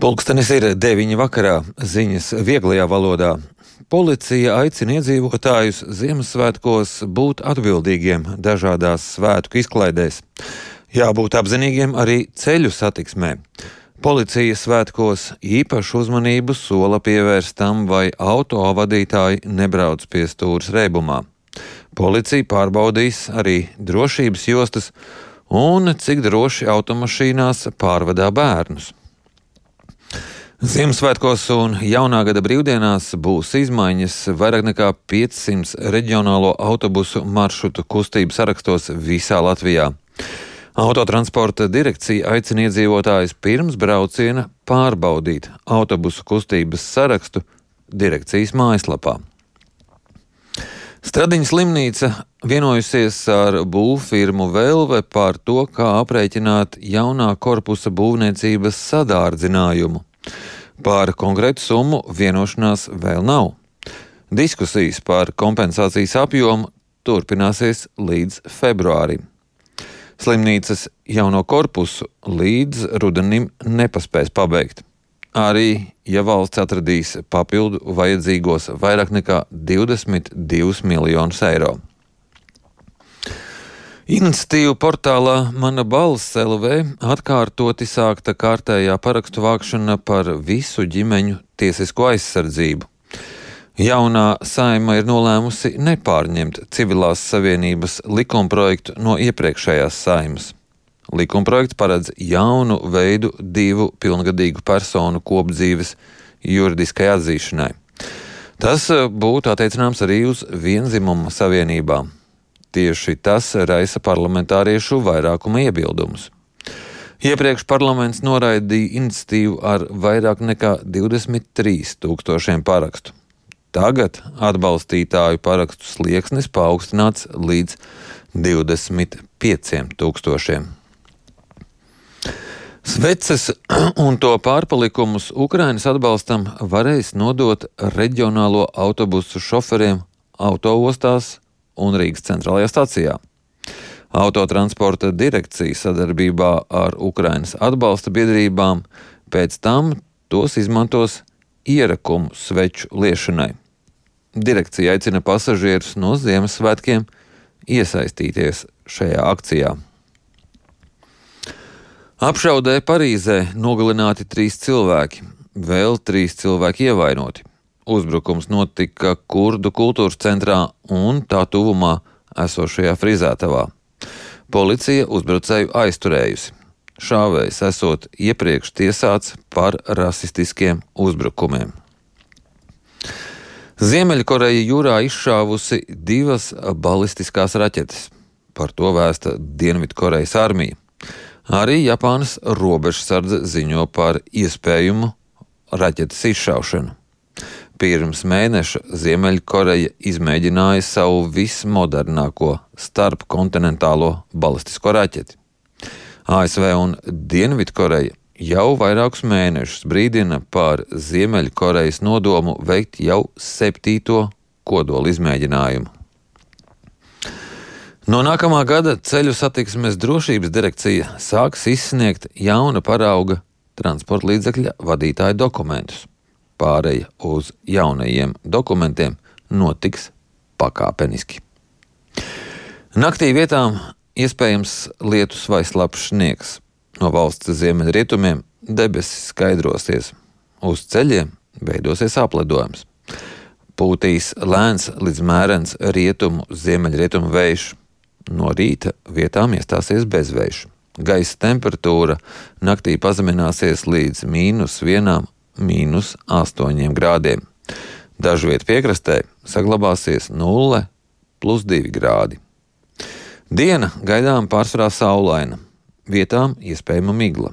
Pulkstenis ir 9 vakarā, ziņas vieglajā valodā. Policija aicina iedzīvotājus Ziemassvētkos būt atbildīgiem dažādās svētku izklaidēs. Jābūt apzinīgiem arī ceļu satiksmē. Policija svētkos īpašu uzmanību sola pievērst tam, vai autovadītāji nebrauc pie stūres reibumā. Policija pārbaudīs arī drošības jostas un cik droši automašīnās pārvadā bērnus. Ziemassvētkos un jaunā gada brīvdienās būs izmaiņas vairāk nekā 500 reģionālo autobusu maršrutu kustību sarakstos visā Latvijā. Autotransporta direkcija aicina iedzīvotājus pirms brauciena pārbaudīt autobusu kustības sarakstu direkcijas mājaslapā. Stradiņa slimnīca vienojusies ar būvfirmu Velve par to, kā aprēķināt jaunā korpusa būvniecības sadārdzinājumu. Par konkrētu summu vienošanās vēl nav. Diskusijas par kompensācijas apjomu turpināsies līdz februārim. Slimnīcas jauno korpusu līdz rudenim nepaspēs pabeigt. Arī, ja valsts atradīs papildu vajadzīgos vairāk nekā 22 miljonus eiro. Iniciatīvu portālā Mana balss LV atkārtoti sākta kārtējā parakstu vākšana par visu ģimeņu tiesisko aizsardzību. Jaunā Saeima ir nolēmusi nepārņemt civilās savienības likumprojektu no iepriekšējās Saeimas. Likumprojekts paredz jaunu veidu 2 pilngadīgu personu kopdzīves juridiskai atzīšanai. Tas būtu attiecināms arī uz vienzimuma savienībām. Tieši tas raisa parlamentāriešu vairākuma iebildumus. Iepriekš parlaments noraidīja iniciatīvu ar vairāk nekā 23 000 parakstu. Tagad atbalstītāju parakstu slieksnis paaugstināts līdz 25 000. Sveces un to pārpalikumus Ukrainas atbalstam varēs nodot reģionālo autobusu šoferiem autoostās un Rīgas centrālajā stacijā. Autotransporta direkcija sadarbībā ar Ukrainas atbalsta biedrībām pēc tam tos izmantos ierakumu sveču liešanai. Direkcija aicina pasažierus no Ziemassvētkiem iesaistīties šajā akcijā. Apšaudē Parīzē nogalināti 3 cilvēki, vēl 3 cilvēki ievainoti. Uzbrukums notika kurdu kultūras centrā un tā tuvumā esošajā frizētavā. Policija uzbrucēju aizturējusi. Šāvējs esot iepriekš tiesāts par rasistiskiem uzbrukumiem. Ziemeļkoreja jūrā izšāvusi 2 balistiskās raķetes. Par to vēsta Dienvidkorejas armija. Arī Japānas robežsardze ziņo par iespējumu raķetes izšaušanu. Pirms mēneša Ziemeļkoreja izmēģināja savu vismodernāko starpkontinentālo balistisko raķeti. ASV un Dienvidkoreja jau vairākus mēnešus brīdina par Ziemeļkorejas nodomu veikt jau 7. kodola izmēģinājumu. No nākamā gada ceļu satiksmes drošības direkcija sāks izsniegt jauna parauga transporta līdzekļa vadītāja dokumentus. Pāreja uz jaunajiem dokumentiem notiks pakāpeniski. Naktī vietām iespējams lietus vai slapjš sniegs. No valsts ziemeļrietumiem debesis skaidrosies. Uz ceļiem veidosies apledojums. Pūtīs lēns līdz mērens rietumu ziemeļrietumu vējš. No rīta vietām iestāsies bezvējš. Gaisa temperatūra naktī pazemināsies līdz -1, -8 grādiem. Dažviet piekrastē saglabāsies 0 + 2 grādi. Diena gaidām pārsvarā saulaina, vietām iespējama migla.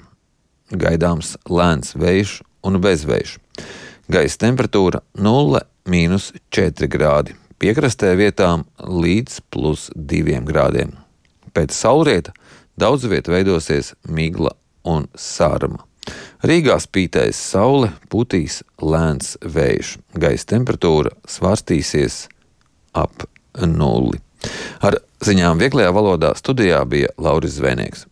Gaidāms lēns vējš un bezvējš. Gaisa temperatūra 0 - 4 grādi. Piekrastē vietām līdz +2 grādiem. Pēc saulrieta daudz viet veidosies migla un sārma. Rīgā spītēs saule, putīs lēns vējš. Gaisa temperatūra svārstīsies ap 0. Ar ziņām vieglajā valodā studijā bija Lauris Zvēnieks.